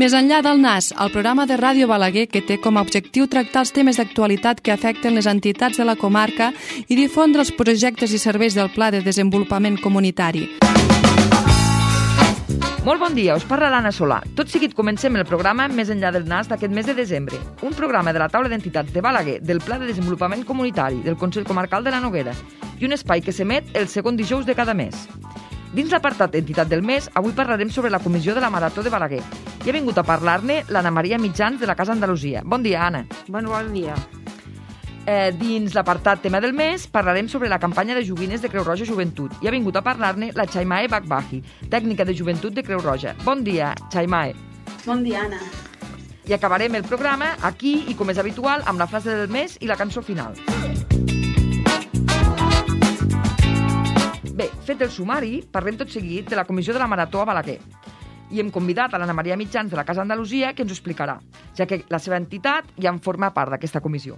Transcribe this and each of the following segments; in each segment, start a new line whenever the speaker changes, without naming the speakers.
Més enllà del NAS, el programa de Ràdio Balaguer que té com a objectiu tractar els temes d'actualitat que afecten les entitats de la comarca i difondre els projectes i serveis del Pla de Desenvolupament Comunitari.
Molt bon dia, us parla l'Anna Solà. Tot seguit comencem el programa Més enllà del NAS d'aquest mes de desembre, un programa de la taula d'entitats de Balaguer, del Pla de Desenvolupament Comunitari, del Consell Comarcal de la Noguera, i un espai que s'emet el segon dijous de cada mes. Dins l'apartat d'entitat del mes, avui parlarem sobre la comissió de la Marató de Balaguer. I ha vingut a parlar-ne l'Anna Maria Mitjans de la Casa Andalusia. Bon dia, Anna.
Bon dia.
Dins l'apartat tema del mes, parlarem sobre la campanya de joguines de Creu Roja Joventut. I ha vingut a parlar-ne la Chaimae Bakbahi, tècnica de joventut de Creu Roja. Bon dia, Chaimae.
Bon dia, Anna.
I acabarem el programa aquí i, com és habitual, amb la frase del mes i la cançó final. Bé, fet el sumari, parlem tot seguit de la comissió de la Marató a Balaguer. I hem convidat a l'Anna Maria Mitjans de la Casa Andalusia que ens ho explicarà, ja que la seva entitat ja en forma part d'aquesta comissió.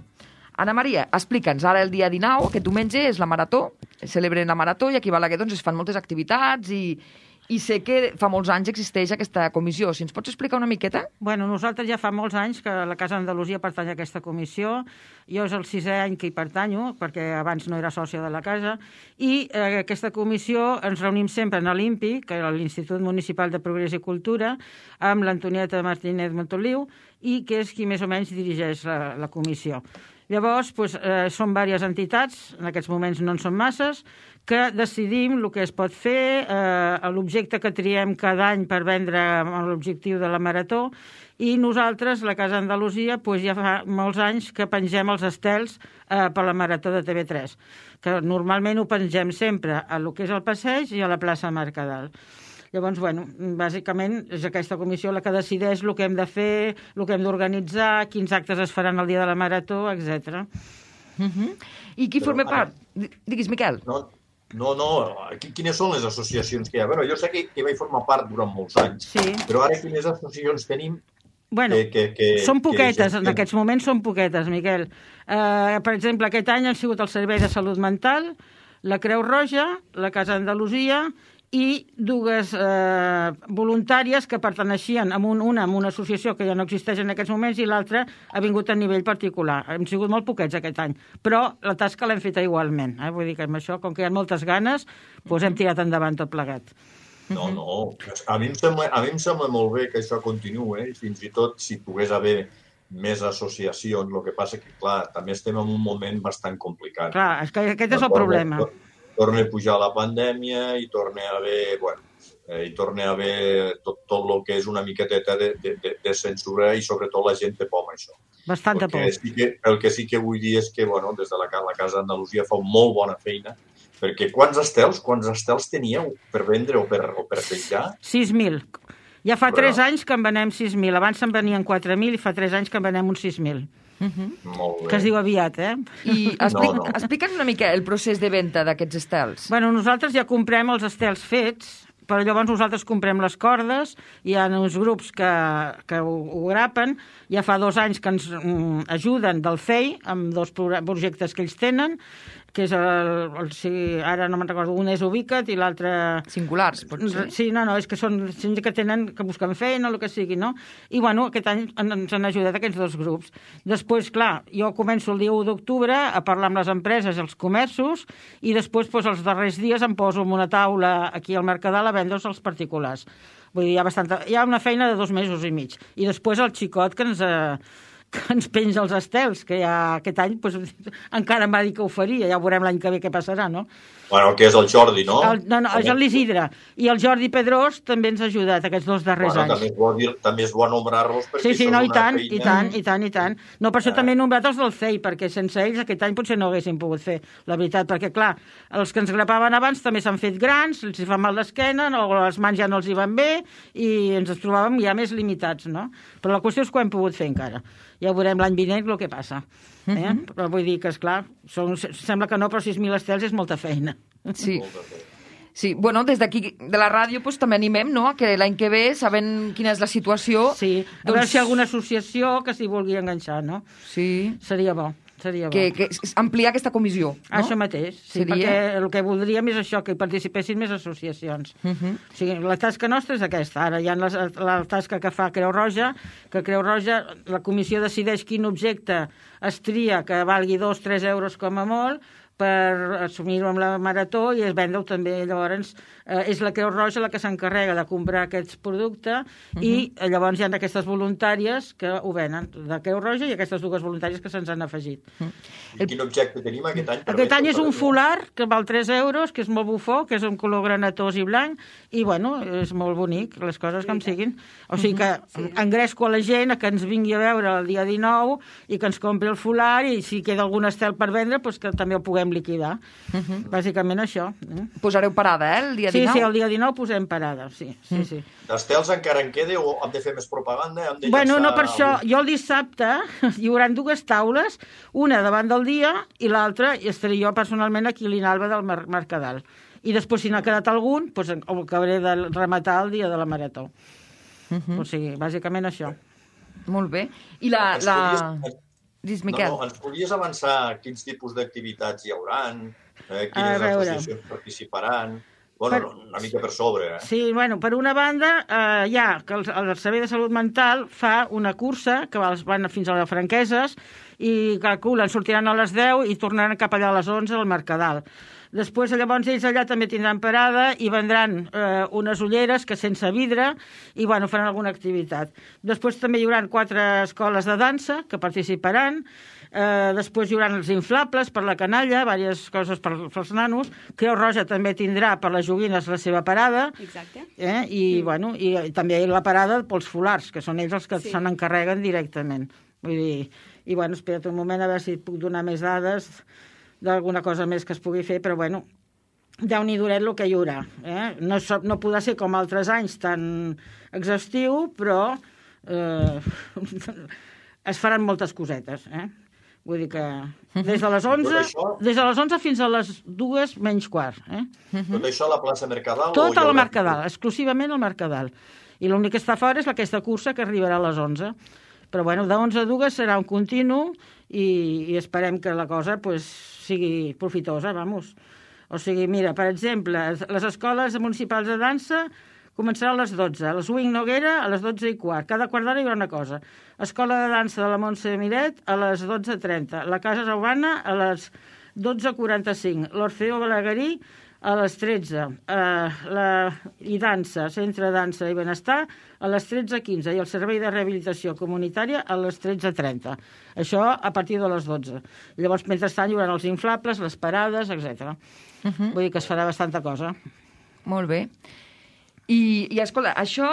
Anna Maria, explica'ns, ara el dia 19, aquest diumenge, és la Marató, celebren la Marató i aquí a Balaguer doncs, es fan moltes activitats i sé que fa molts anys existeix aquesta comissió. Si ens pots explicar una miqueta?
Bueno, nosaltres ja fa molts anys que la Casa Andalusia pertany a aquesta comissió. Jo és el 6è any que hi pertanyo, perquè abans no era sòcia de la casa, i aquesta comissió ens reunim sempre en l'IMPI, que és l'Institut Municipal de Progrés i Cultura, amb l'Antonieta Martínez Montoliu, i que és qui més o menys dirigeix la comissió. Llavors, són diverses entitats, en aquests moments no en són masses, que decidim el que es pot fer, l'objecte que triem cada any per vendre l'objectiu de la Marató, i nosaltres, la Casa Andalusia, ja fa molts anys que pengem els estels per la Marató de TV3, que normalment ho pengem sempre a lo que és el passeig i a la plaça Mercadal. Llavors, bàsicament és aquesta comissió la que decideix el que hem de fer, el que hem d'organitzar, quins actes es faran el dia de la Marató, etc.
I qui forma part? Digues, Miquel.
No, quines són les associacions que hi ha? Bueno, jo sé que vaig formar part durant molts anys,
sí.
Però ara quines associacions tenim?
Bueno, són poquetes, en aquests moments són poquetes, Miquel. Per exemple, aquest any han sigut el Servei de Salut Mental, la Creu Roja, la Casa Andalusia i dues voluntàries que perteneixien una amb una associació que ja no existeix en aquests moments i l'altra ha vingut a nivell particular. Hem sigut molt poquets aquest any, però la tasca l'hem feta igualment. Vull dir que amb això, com que hi ha moltes ganes, hem tirat endavant tot plegat.
No, a mi em sembla molt bé que això continuï, fins i tot si pogués haver més associacions, el que passa que, clar, també estem en un moment bastant complicat.
Clar, és que aquest és el problema.
Torna a pujar la pandèmia i torna a haver tot el que és una miqueteta de censura i sobretot la gent té por amb això.
Bastanta por.
El que sí que vull dir és que des de la Casa Andalusia fa molt bona feina, perquè quants estels teníeu per vendre o per penjar?
6.000. Ja fa 3 anys que en venem 6.000. Abans se'n venien 4.000 i fa 3 anys que en venem uns 6.000.
Molt bé.
Que es diu aviat,
I explica'ns una mica el procés de venda d'aquests estels.
Bueno, nosaltres ja comprem els estels fets, però llavors nosaltres comprem les cordes, hi ha uns grups que ho grapen, ja fa 2 anys que ens ajuden del FEI, amb 2 projectes que ells tenen, que és ara no me'n recordo, un és Ubica't i l'altre...
Singulars, potser?
Sí, és que són gent que busquen feina o el que sigui, no? I, aquest any ens han ajudat aquests 2 grups. Després, clar, jo començo el dia 1 d'octubre a parlar amb les empreses i els comerços i després, els darrers dies em poso en una taula aquí al Mercadal a vendre'ls als particulars. Vull dir, hi ha una feina de 2 mesos i mig. I després el xicot que ens penja els estels, que ja aquest any encara em va dir que ho faria, ja veurem l'any que ve què passarà, no?
Bueno, que és el Jordi, no?
No, és l'Isidre. I el Jordi Pedrós també ens ha ajudat aquests 2 darrers anys.
També és bo nombrar-los perquè
sí, i tant. No, per això també he nombrat els del CEI, perquè sense ells aquest any potser no haguéssim pogut fer, la veritat, perquè, clar, els que ens grapaven abans també s'han fet grans, els hi fa mal l'esquena, o les mans ja no els hi van bé, i ens trobàvem ja més limitats, no? Però la qüestió és que ho hem pogut fer encara. Ja veurem l'any vinent el que passa. Però vull dir que, esclar, sembla que no, però 6.000 estels és molta feina.
Sí. Sí, des d'aquí, de la ràdio, també animem, no?, a que l'any que ve, sabent quina és la situació...
Sí, a veure si hi ha alguna associació que s'hi vulgui enganxar, no?
Sí.
Seria bo. Seria bo.
que ampliar aquesta comissió, no?
Això mateix, sí,
Seria?
perquè el que voldríem és això, que hi participessin més associacions. O sigui, la tasca nostra és aquesta. Ara hi ha la tasca que fa Creu Roja, que Creu Roja, la comissió decideix quin objecte es tria que valgui 2-3 euros com a molt, per assumir-ho amb la Marató i es vendre-ho també. Llavors, és la Creu Roja la que s'encarrega de comprar aquests productes i llavors hi ha aquestes voluntàries que ho venen, de Creu Roja i aquestes dues voluntàries que se'ns han afegit.
I quin objecte tenim aquest any?
Aquest any és un folar que val 3 euros, que és molt bufó, que és un color granatós i blanc, i bueno, és molt bonic, les coses com siguin. O sigui que engresco a la gent a que ens vingui a veure el dia 19 i que ens compri el folar i si queda algun estel per vendre, doncs que també el puguem liquidar. Bàsicament això.
Posareu parada, el dia 19?
Sí, el dia 19 posem parada, sí.
D'estels encara en queda o hem de fer més propaganda?
Bueno, no per això. Jo el dissabte hi haurà 2 taules, una davant del dia i l'altra i estaré jo personalment aquí a l'Inalba del Mercadal. I després, si n'ha quedat algun, doncs ho acabaré de rematar el dia de la Marató. O sigui, bàsicament això.
Molt bé. I Dis, Miquel.
No, ens podries avançar quins tipus d'activitats hi hauran, quines associacions participaran... Bueno, una mica per sobre,
Sí, bueno, per una banda, hi ha que el Servei de Salut Mental fa una cursa que van fins a les Franqueses i calculen, sortiran a les 10 i tornaran cap allà a les 11 al Mercadal. Després, llavors, ells allà també tindran parada i vendran unes ulleres que sense vidre i, bueno, faran alguna activitat. Després també hi haurà 4 escoles de dansa que participaran. Després hi haurà els inflables per la canalla, diverses coses pels nanos. Creu Roja també tindrà per les joguines la seva parada.
Exacte.
I, bueno, i també la parada pels folars, que són ells els que se n'encarreguen directament. Vull dir, i, bueno, espera't un moment a veure si puc donar més dades d'alguna cosa més que es pugui fer, però, bueno, Déu-n'hi-duret el que hi haurà. No podrà ser com altres anys tan exhaustiu, però es faran moltes cosetes. Vull dir que des de les 11 fins a les 2 menys quart.
Tot això a la plaça Mercadal?
Tot a la Mercadal, exclusivament al Mercadal. I l'únic que està fora és aquesta cursa que arribarà a les 11. Però, bueno, de 11 a 2 serà un continu i esperem que la cosa sigui profitosa, vamos. O sigui, mira, per exemple, les escoles municipals de dansa començaran a les 12, el Swing Noguera a les 12:15, cada quart d'hora hi haurà una cosa. Escola de dansa de la Montse Miret a les 12:30, la Casa Saubana a les 12:45, l'Orfeo Balaguerí a les 13, i dansa, Centre de Dansa i Benestar a les 13:15 i el Servei de Rehabilitació Comunitària a les 13:30. Això a partir de les 12. Llavors, mentrestant, hi haurà els inflables, les parades, etc. Vull dir que es farà bastanta cosa.
Molt bé. I escolta, això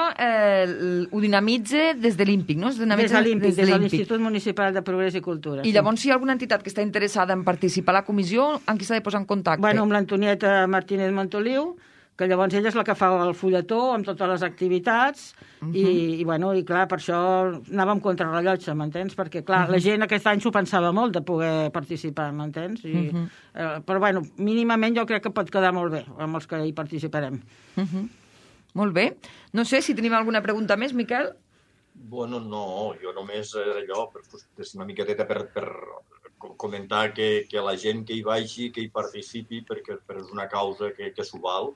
ho dinamitza des de l'IMPIC, no?
Des de l'IMPIC, des de l'Institut Municipal de Progrés i Cultura.
I llavors, si hi ha alguna entitat que està interessada en participar a la comissió, amb qui s'ha de posar en contacte?
Bueno, amb l'Antonieta Martínez Montoliu, que llavors ella és la que fa el fulletó amb totes les activitats i clar, per això anàvem contra rellotge, m'entens? Perquè, clar, la gent aquest any s'ho pensava molt de poder participar, m'entens? Però, bueno, mínimament jo crec que pot quedar molt bé amb els que hi participarem.
Molt bé. No sé si tenim alguna pregunta més, Miquel?
Bueno, no, jo només allò, és una miqueteta per comentar que la gent que hi vagi, que hi participi, perquè és una causa que s'ho val.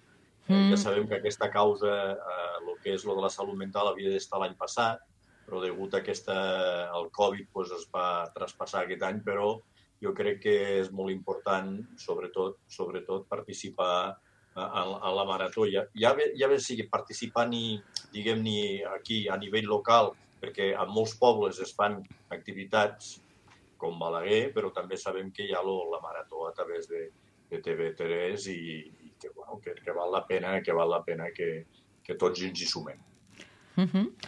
Ja sabem que aquesta causa, el que és lo de la salut mental, havia d'estar l'any passat, però degut a el Covid es va traspassar aquest any, però jo crec que és molt important, sobretot participar a la Marató. Ja bé sigui participar diguem-ne aquí a nivell local, perquè a molts pobles es fan activitats com Balaguer, però també sabem que hi ha la Marató a través de TV3 i que val la pena que tots ens hi sumem.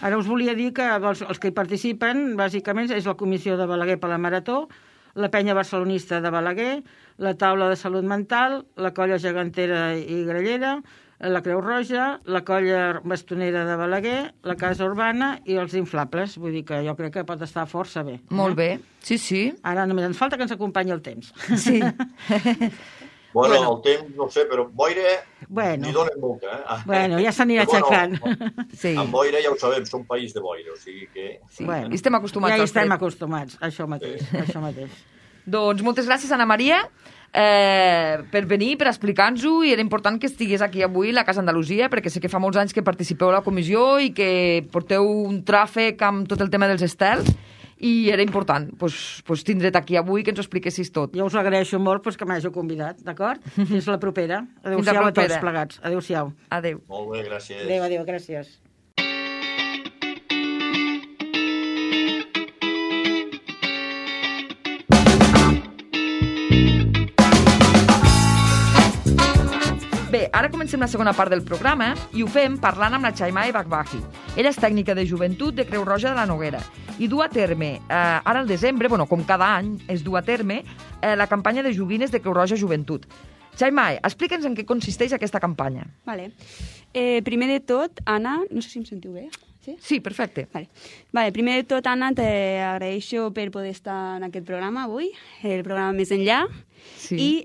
Ara us volia dir que els que hi participen, bàsicament, és la Comissió de Balaguer per la Marató, la Penya Barcelonista de Balaguer, la Taula de Salut Mental, la Colla Gegantera i Grallera, la Creu Roja, la Colla Bastonera de Balaguer, la Casa Urbana i els inflables. Vull dir que jo crec que pot estar força bé.
Molt bé, sí.
Ara només ens falta que ens acompanyi el temps.
Sí.
Bueno, el temps, no sé, però boira n'hi donen molta.
Bueno, ja s'anirà aixecant.
Amb boira ja ho sabem, som país de boira, o sigui que...
I estem acostumats.
Ja hi estem acostumats, això mateix.
Doncs moltes gràcies, Anna Maria, per venir, per explicar-nos-ho, i era important que estigués aquí avui a la Casa Andalusia, perquè sé que fa molts anys que participeu a la comissió i que porteu un tràfic amb tot el tema dels estels, i era important tindre't aquí avui, que ens ho expliquessis tot.
Jo us agraeixo molt que m'hàgiu convidat, d'acord? Fins la propera. Adéu-siau a tots plegats. Adéu-siau.
Adéu.
Molt bé, gràcies.
Adéu, gràcies.
Bé, ara comencem la segona part del programa i ho fem parlant amb la Chaimae Bakbahi. Ella és tècnica de joventut de Creu Roja de la Noguera i du a terme, ara al desembre, com cada any, es du a terme la campanya de joguines de Creu Roja Joventut. Chaimae, explica'ns en què consisteix aquesta campanya.
Vale. Primer de tot, Anna, no sé si em sentiu bé.
Sí, perfecte.
Vale, primer de tot, Anna, t'agraeixo per poder estar en aquest programa avui, el programa Més Enllà, i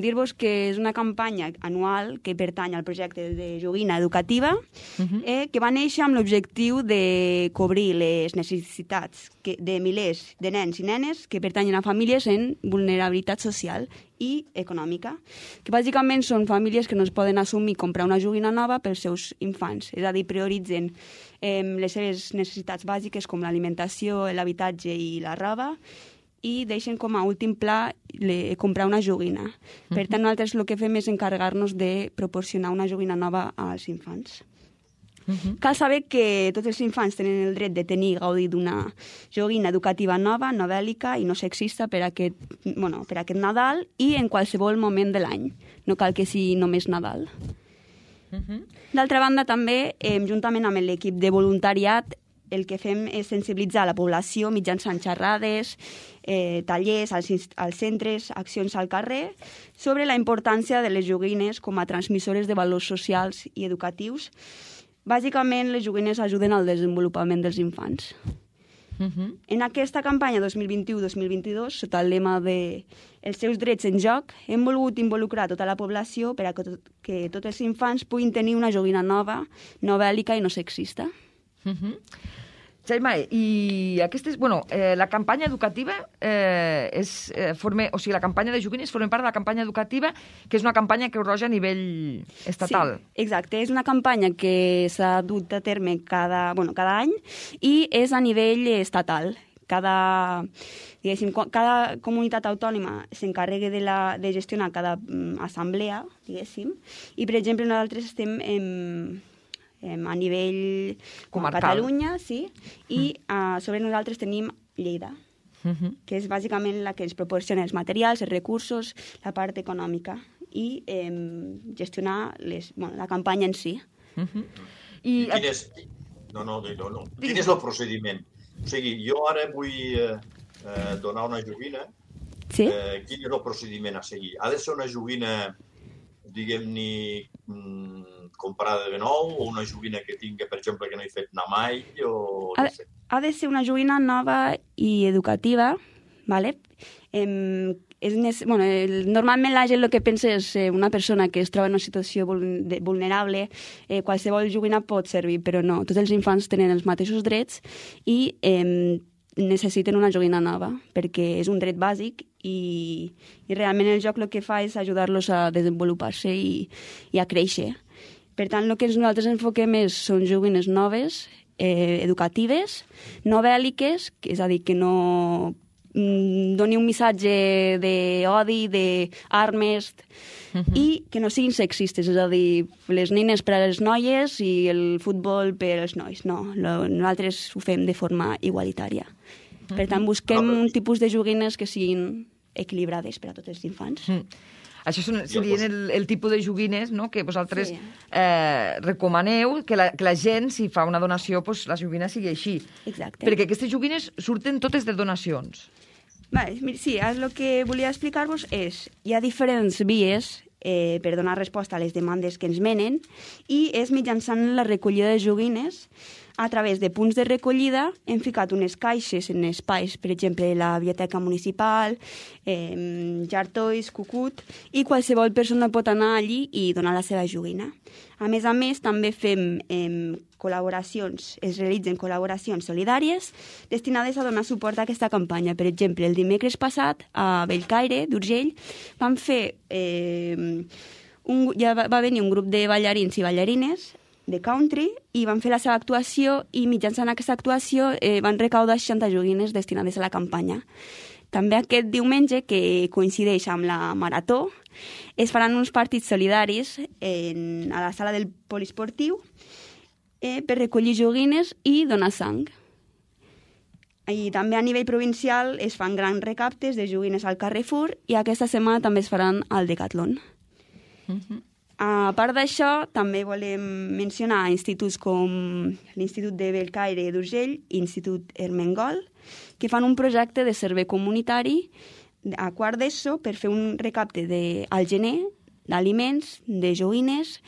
dir-vos que és una campanya anual que pertany al projecte de joguina educativa, que va néixer amb l'objectiu de cobrir les necessitats de milers de nens i nenes que pertanyen a famílies en vulnerabilitat social i econòmica, que bàsicament són famílies que no es poden assumir comprar una joguina nova pels seus infants, és a dir, prioritzen les seves necessitats bàsiques com l'alimentació, l'habitatge i la roba, i deixen com a últim pla comprar una joguina. Per tant, nosaltres el que fem és encarregar-nos de proporcionar una joguina nova als infants. Cal saber que tots els infants tenen el dret de tenir i gaudir d'una joguina educativa nova, no bèl·lica i no sexista per aquest Nadal i en qualsevol moment de l'any. No cal que sigui només Nadal. D'altra banda, també, juntament amb l'equip de voluntariat, el que fem és sensibilitzar la població mitjançant xerrades, tallers als centres, accions al carrer, sobre la importància de les joguines com a transmissores de valors socials i educatius. Bàsicament, les joguines ajuden al desenvolupament dels infants. En aquesta campanya 2021-2022, sota el lema de Els seus drets en joc, hem volgut involucrar tota la població per a que tots els infants puguin tenir una joguina nova, no bèl·lica i no sexista.
Chaimae, i la campanya educativa la campanya de joguines forma part de la campanya educativa, que és una campanya Creu Roja a nivell estatal.
Sí, exacte. És una campanya que s'ha dut a terme cada any i és a nivell estatal. Cada comunitat autònoma s'encarrega de gestionar cada assemblea, diguéssim, i, per exemple, nosaltres estem a nivell
comarcal.
Catalunya, sí, i sobre nosaltres tenim Lleida, que és bàsicament la que ens proporciona els materials, els recursos, la part econòmica i gestionar la campanya en si.
Quin és el procediment? O sigui, jo ara vull donar una joguina.
Sí.
Quin és el procediment a seguir? Ha de ser una joguina, diguem-ne, comprada de nou, o una joguina que tingui, per exemple, que no he fet anar mai, o no sé.
Ha de ser una joguina nova i educativa, ¿vale? Normalment la gent el que pensa és una persona que es troba en una situació vulnerable, qualsevol joguina pot servir, però no, tots els infants tenen els mateixos drets i necessiten una joguina nova, perquè és un dret bàsic i realment el joc el que fa és ajudar-los a desenvolupar-se i a créixer. Per tant, el que nosaltres enfoquem són joguines noves, educatives, no bèl·liques, és a dir, que no doni un missatge d'odi, d'armes, i que no siguin sexistes, és a dir, les nines per a les noies i el futbol per als nois. No, nosaltres ho fem de forma igualitària. Per tant, busquem un tipus de joguines que siguin equilibrades per a tots els infants.
Això serien el tipus de joguines que vosaltres recomaneu que la gent, si fa una donació, la joguina sigui així.
Exacte.
Perquè aquestes joguines surten totes de donacions.
Sí, el que volia explicar-vos és hi ha diferents vies per donar resposta a les demandes que ens menen i és mitjançant la recollida de joguines A través de punts de recollida hem ficat unes caixes en espais, per exemple, la biblioteca municipal, Jartois, Cucut, i qualsevol persona pot anar allí i donar la seva joguina. A més, també fem col·laboracions, es realitzen col·laboracions solidàries destinades a donar suport a aquesta campanya. Per exemple, el dimecres passat, a Bellcaire, d'Urgell, vam fer... va venir un grup de ballarins i ballarines de country i van fer la seva actuació i mitjançant aquesta actuació van recaudar 60 joguines destinades a la campanya. També aquest diumenge, que coincideix amb la marató, es faran uns partits solidaris a la sala del poliesportiu per recollir joguines i donar sang. I també a nivell provincial es fan grans recaptes de joguines al Carrefour i aquesta setmana també es faran al Decathlon. A part d'això, també volem mencionar instituts com l'Institut de Bellcaire d'Urgell i l'Institut Ermengol, que fan un projecte de servei comunitari a quart d'ESO per fer un recapte al gener d'aliments, de joguines,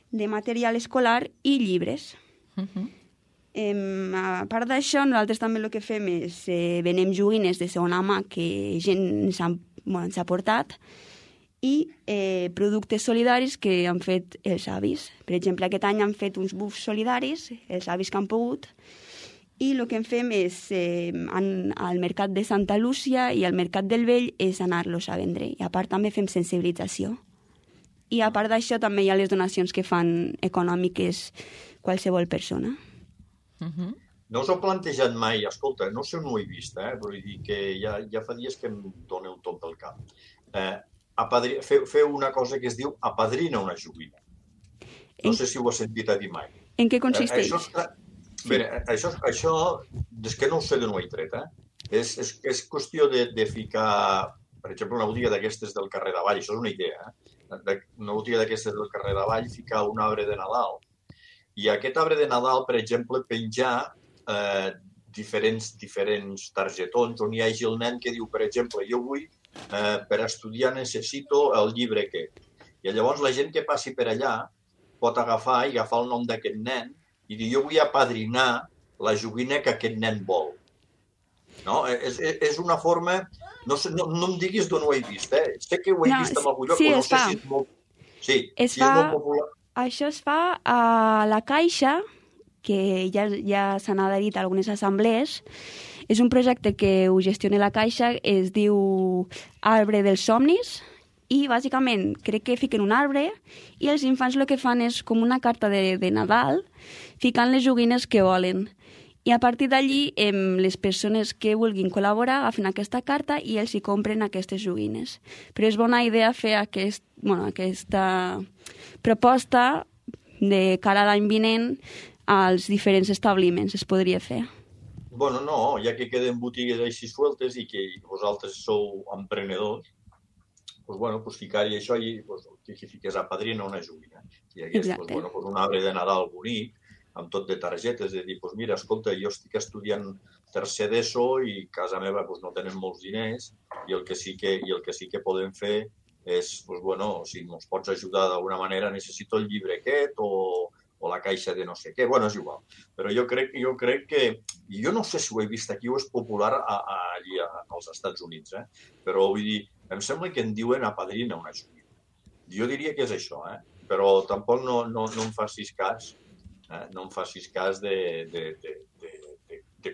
de material escolar i llibres. A part d'això, nosaltres també el que fem és venem joguines de segona mà que gent ens ha portat i productes solidaris que han fet els avis. Per exemple, aquest any han fet uns bufs solidaris, els avis que han pogut, i el que en fem és, al Mercat de Santa Lúcia i al Mercat del Vell, és anar-los a vendre. I a part també fem sensibilització. I a part d'això també hi ha les donacions que fan econòmiques qualsevol persona.
No us heu plantejat mai, escolta, no sé on ho he vist, vull dir que ja fa dies que em doneu tot del cap. Feu una cosa que es diu apadrina una joguina. No sé si ho has sentit a dir mai.
En què consisteix?
Això és que no ho sé d'on ho he tret. És qüestió de ficar, per exemple, una botiga d'aquestes del carrer d'Avall, això és una idea, una botiga d'aquestes del carrer d'Avall, ficar un arbre de Nadal. I aquest arbre de Nadal, per exemple, penjar diferents targetons on hi hagi el nen que diu, per exemple, jo vull per estudiar necessito el llibre aquest. I llavors la gent que passi per allà pot agafar el nom d'aquest nen i dir jo vull apadrinar la joguina que aquest nen vol. No? És una forma... No em diguis d'on ho he vist, Sé que ho he vist en algun lloc, però no sé si és molt... Sí, és molt popular.
Això es fa a la Caixa, que ja s'han adherit a algunes assemblees. És un projecte que ho gestiona la Caixa, es diu Arbre dels Somnis, i bàsicament crec que fiquen un arbre i els infants el que fan és com una carta de Nadal, ficant les joguines que volen. I a partir d'allí, les persones que vulguin col·laborar agafen aquesta carta i els hi compren aquestes joguines. Però és bona idea fer aquesta proposta de cara a l'any vinent als diferents establiments, es podria fer.
Bueno, no, ja que queden botigues així sueltes i que vosaltres sou emprenedors, doncs ficar-hi això i que fiques apadrina una joguina. Si hi hagués un arbre de Nadal bonic, amb tot de targetes, de dir, mira, escolta, jo estic estudiant tercer d'ESO i a casa meva no tenen molts diners i el que sí que podem fer és, si ens pots ajudar d'alguna manera, necessito el llibre aquest o la caixa de no sé què. És igual. Però jo crec que... Jo no sé si ho he vist aquí o és popular allí als Estats Units, però vull dir, em sembla que en diuen apadrina una joguina. Jo diria que és això, però tampoc no em facis cas, no em facis cas de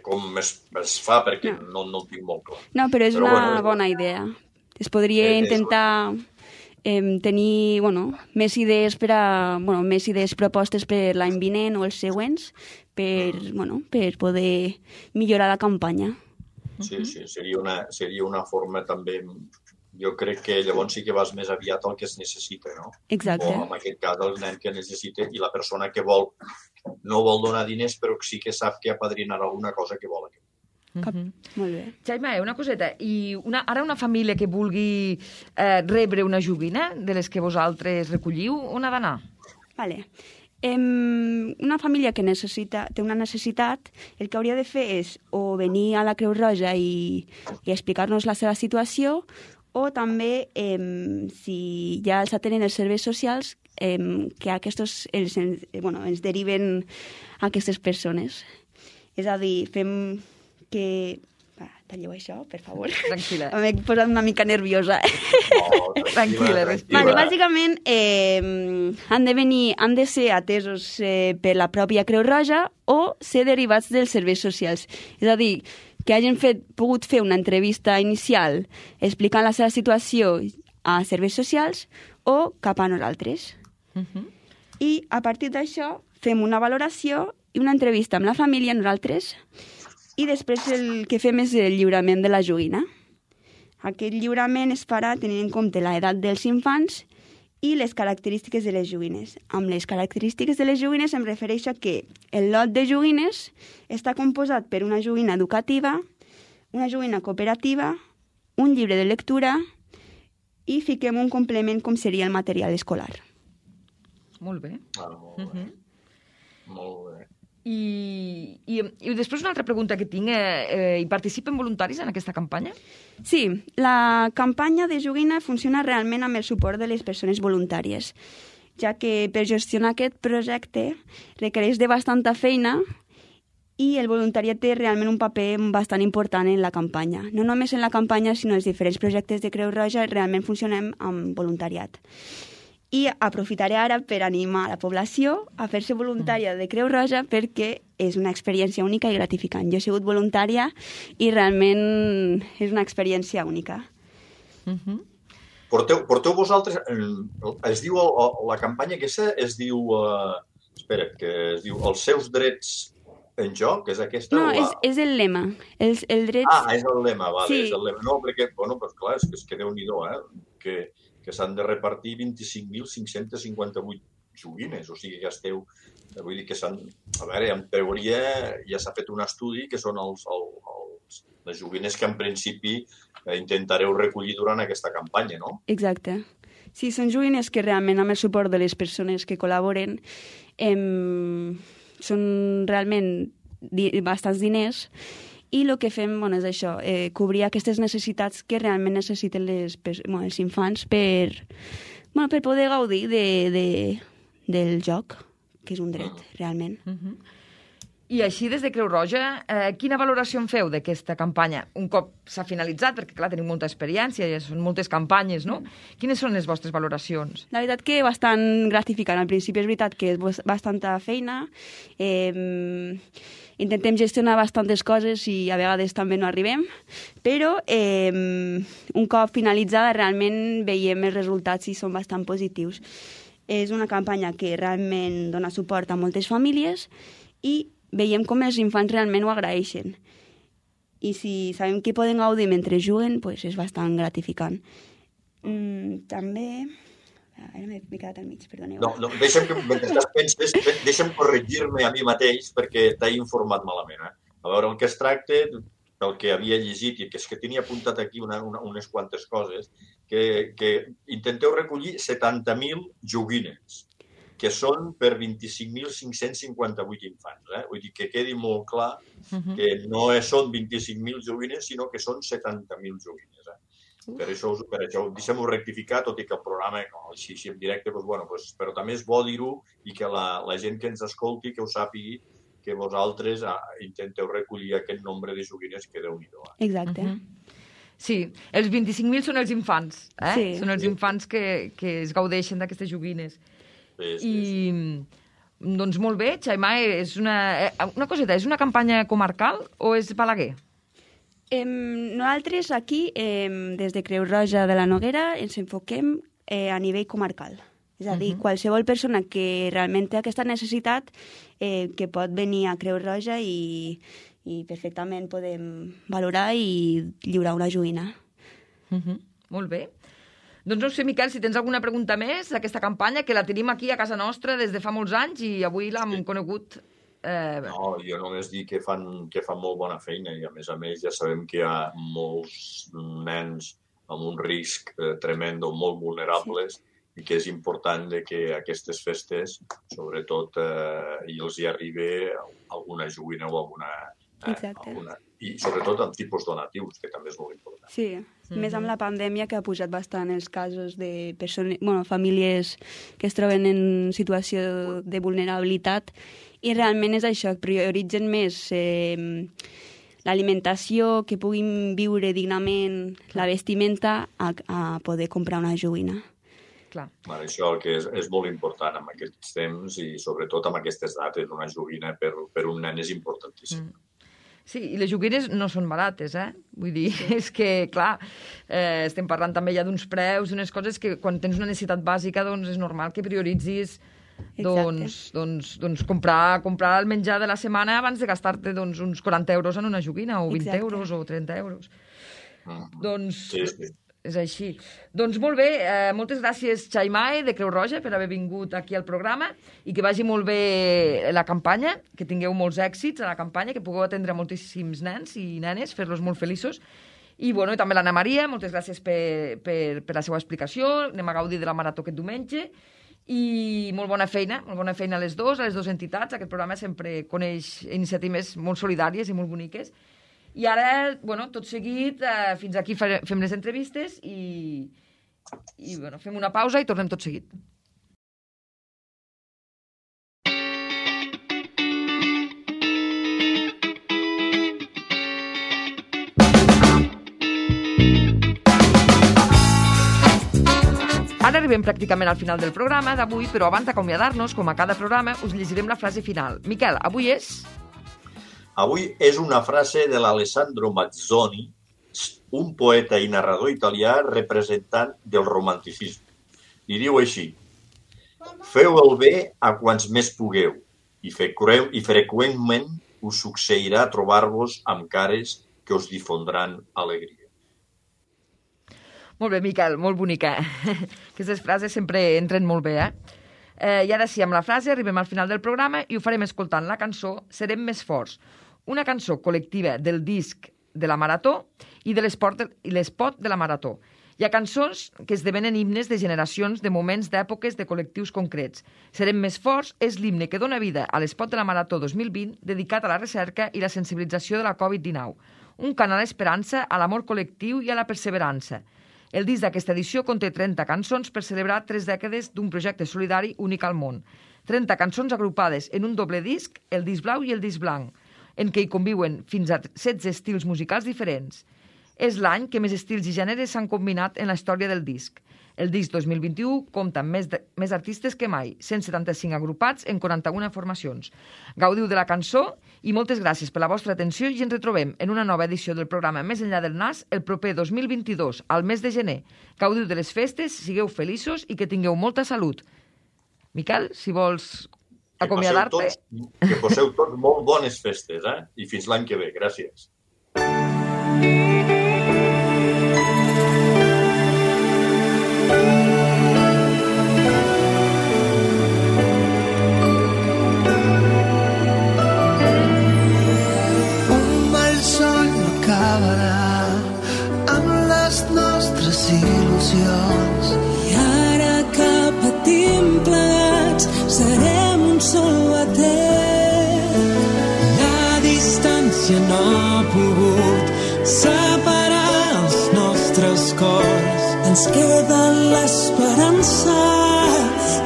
com es fa, perquè no ho tinc molt clar.
No, però és una bona idea. Es podria intentar... tenir més idees més idees propostes per l'any vinent o els següents per poder millorar la campanya.
Sí, seria una forma també... Jo crec que llavors sí que vas més aviat al que es necessita, no?
Exacte.
O en aquest cas el nen que necessita i la persona que no vol donar diners però sí que sap que apadrinarà alguna cosa que vol.
Molt bé.
Jaime, una coseta. I ara una família que vulgui rebre una joguina de les que vosaltres recolliu, on ha d'anar?
Vale. Una família que té una necessitat, el que hauria de fer és o venir a la Creu Roja i explicar-nos la seva situació, o també, si ja els atenen els serveis socials, que ens deriven aquestes persones. És a dir, fem que... Talleu això, per favor.
Tranquil·la.
M'he posat una mica nerviosa.
Tranquil·la, respira.
Vale, bàsicament, han de ser atesos per la pròpia Creu Roja o ser derivats dels serveis socials. És a dir, que hagin pogut fer una entrevista inicial explicant la seva situació a serveis socials o cap a nosaltres. I a partir d'això fem una valoració i una entrevista amb la família, nosaltres, i després el que fem és el lliurament de la joguina. Aquest lliurament es farà tenint en compte l'edat dels infants i les característiques de les joguines. Amb les característiques de les joguines em refereixo a que el lot de joguines està composat per una joguina educativa, una joguina cooperativa, un llibre de lectura i fiquem un complement com seria el material escolar.
Molt bé.
Molt bé. Molt bé.
I després una altra pregunta que tinc. Hi participen voluntaris en aquesta campanya?
Sí, la campanya de joguina funciona realment amb el suport de les persones voluntàries, ja que per gestionar aquest projecte requereix de bastanta feina i el voluntariat té realment un paper bastant important en la campanya. No només en la campanya, sinó els diferents projectes de Creu Roja realment funcionem amb voluntariat. I aprofitaré ara per animar la població a fer-se voluntària de Creu Roja perquè és una experiència única i gratificant. Jo he sigut voluntària i realment és una experiència única.
Porteu vosaltres... Es diu, la campanya aquesta es diu... Espera, que es diu Els seus drets en joc, és aquesta?
No, és el lema. Els drets...
És el lema, vale,
sí.
És el lema. No, perquè, bueno, doncs clar, és que Déu-n'hi-do, que s'han de repartir 25.558 joguines, o sigui que esteu... Vull dir que s'han... A veure, en teoria ja s'ha fet un estudi que són les joguines que en principi intentareu recollir durant aquesta campanya, no?
Exacte. Sí, són joguines que realment amb el suport de les persones que col·laboren són realment bastants diners i el que fem és això, cobrir aquestes necessitats que realment necessiten els infants per poder gaudir del joc, que és un dret, realment.
I així, des de Creu Roja, quina valoració en feu d'aquesta campanya? Un cop s'ha finalitzat, perquè clar, tenim molta experiència, ja són moltes campanyes, no? Quines són les vostres valoracions?
La veritat que bastant gratificant. Al principi és veritat que és bastanta feina, intentem gestionar bastantes coses i a vegades també no arribem, però un cop finalitzada realment veiem els resultats i són bastant positius. És una campanya que realment dona suport a moltes famílies i veiem com els infants realment ho agraeixen. I si sabem que poden gaudir mentre juguen, doncs és bastant gratificant. També... Ara m'he quedat al mig, perdoneu.
No, mentre penses, deixa'm corregir-me a mi mateix perquè t'he informat malament. A veure, el que es tracta, pel que havia llegit, i que és que tenia apuntat aquí unes quantes coses, que intenteu recollir 70.000 joguines, que són per 25.558 infants. Vull dir que quedi molt clar que no són 25.000 joguines, sinó que són 70.000 joguines. Per això deixem-ho rectificar, tot i que el programa, així en directe, però també és bo dir-ho i que la gent que ens escolti, que ho sàpigui, que vosaltres intenteu recollir aquest nombre de joguines que Déu-n'hi-do.
Exacte.
Sí, els 25.000 són els infants,
Sí.
Són els infants que es gaudeixen d'aquestes joguines. I, doncs molt bé, Xaimà, és una coseta, és una campanya comarcal o és Balaguer?
Nosaltres aquí, des de Creu Roja de la Noguera, ens enfoquem a nivell comarcal. És a dir, qualsevol persona que realment té aquesta necessitat que pot venir a Creu Roja i perfectament podem valorar i lliurar una joguina.
Molt bé. Doncs no sé, Miquel, si tens alguna pregunta més d'aquesta campanya, que la tenim aquí a casa nostra des de fa molts anys i avui l'hem conegut.
No, jo només dic que fan molt bona feina i a més ja sabem que hi ha molts nens amb un risc tremendo, molt vulnerables, i que és important que aquestes festes, sobretot, els hi arribi alguna joguina o alguna...
Exacte.
I sobretot amb tipus donatius, que també és molt important.
Sí, més amb la pandèmia, que ha pujat bastant els casos de famílies que es troben en situació de vulnerabilitat, i realment és això, prioritzen més l'alimentació, que puguin viure dignament, la vestimenta, a poder comprar una joguina.
Clar.
Això que és molt important en aquests temps i sobretot amb aquestes dates. Una joguina per un nen és importantíssim.
Sí, i les joguines no són barates, Vull dir, és que, clar, estem parlant també ja d'uns preus, d'unes coses que quan tens una necessitat bàsica, doncs és normal que prioritzis comprar el menjar de la setmana abans de gastar-te uns 40 euros en una joguina, o 20 euros, o 30 euros.
Sí.
És així. Doncs molt bé, moltes gràcies, Xaimae, de Creu Roja, per haver vingut aquí al programa, i que vagi molt bé la campanya, que tingueu molts èxits a la campanya, que pugueu atendre moltíssims nens i nenes, fer-los molt feliços. I també l'Anna Maria, moltes gràcies per la seva explicació. Anem a gaudir de la marató aquest diumenge. I molt bona feina a les dues entitats. Aquest programa sempre coneix iniciatives molt solidàries i molt boniques. I ara, tot seguit, fins aquí fem les entrevistes i fem una pausa i tornem tot seguit. Ara arribem pràcticament al final del programa d'avui, però abans d'acomiadar-nos, com a cada programa, us llegirem la frase final. Miquel, avui és...
Avui és una frase de l'Alessandro Mazzoni, un poeta i narrador italià representant del romanticisme. I diu així: feu el bé a quants més pugueu i freqüentment us succeirà trobar-vos amb cares que us difondran alegria.
Molt bé, Miquel, molt bonica. Aquestes frases sempre entren molt bé, I ara sí, amb la frase arribem al final del programa i ho farem escoltant la cançó Serem més forts, una cançó col·lectiva del disc de la Marató i de l'espot de la Marató. Hi ha cançons que esdevenen himnes de generacions, de moments, d'èpoques, de col·lectius concrets. Serem més forts és l'himne que dona vida a l'espot de la Marató 2020 dedicat a la recerca i la sensibilització de la Covid-19. Un cant a l'esperança, a l'amor col·lectiu i a la perseverança. El disc d'aquesta edició conté 30 cançons per celebrar 3 dècades d'un projecte solidari únic al món. 30 cançons agrupades en un doble disc, el disc blau i el disc blanc, en què hi conviuen fins a 16 estils musicals diferents. És l'any que més estils i gèneres s'han combinat en la història del disc. El disc 2021 compta amb més artistes que mai, 175 agrupats en 41 formacions. Gaudiu de la cançó i moltes gràcies per la vostra atenció i ens retrobem en una nova edició del programa Més enllà del nas el proper 2022, al mes de gener. Gaudiu de les festes, sigueu feliços i que tingueu molta salut. Miquel, si vols acomiadar-te.
Que poseu tots molt bones festes, I fins l'any que ve. Gràcies.
Un mal sol no acabarà amb les nostres il·lusions.
I ara que patim plegats serem un sol batec. La distància no ha pogut separar els nostres cors. Ens queda l'esperança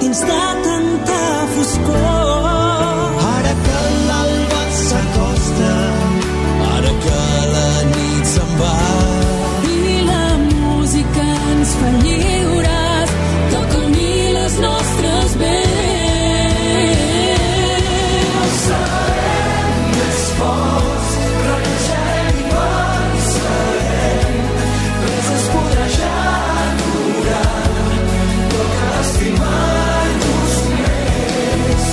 dins de tanta foscor.
Ara que l'alba s'acosta, ara que la nit se'n va,
i la música ens fa lliures, toca unir les nostres veus.
serem més forts, renaixem i vencerem, res es podrà ja aturar, toca estimar-nos més.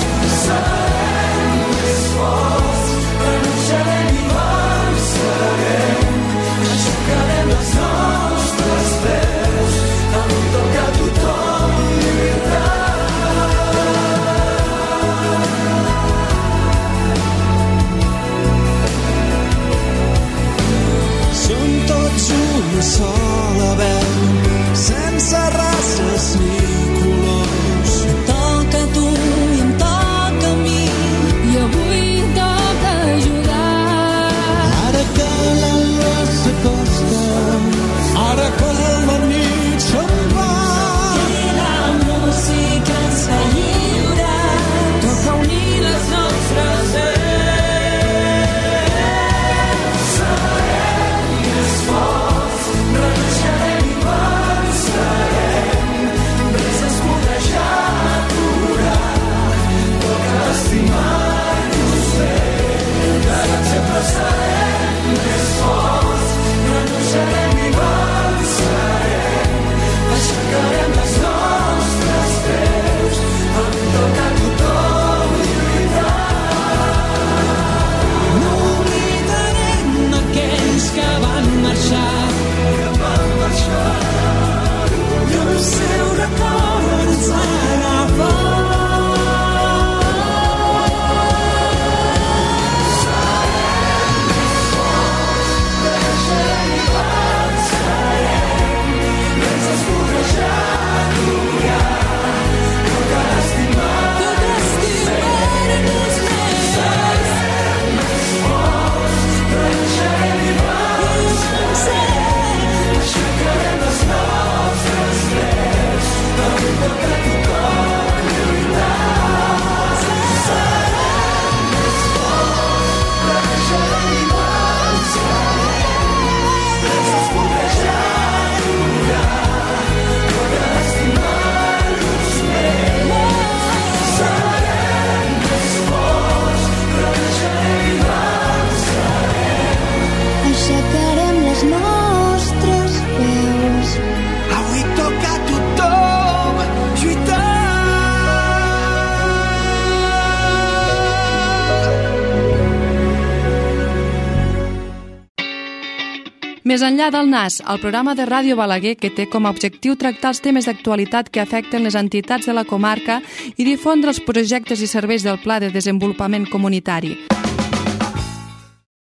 Més enllà del NAS, el programa de Ràdio Balaguer, que té com a objectiu tractar els temes d'actualitat que afecten les entitats de la comarca i difondre els projectes i serveis del Pla de Desenvolupament Comunitari.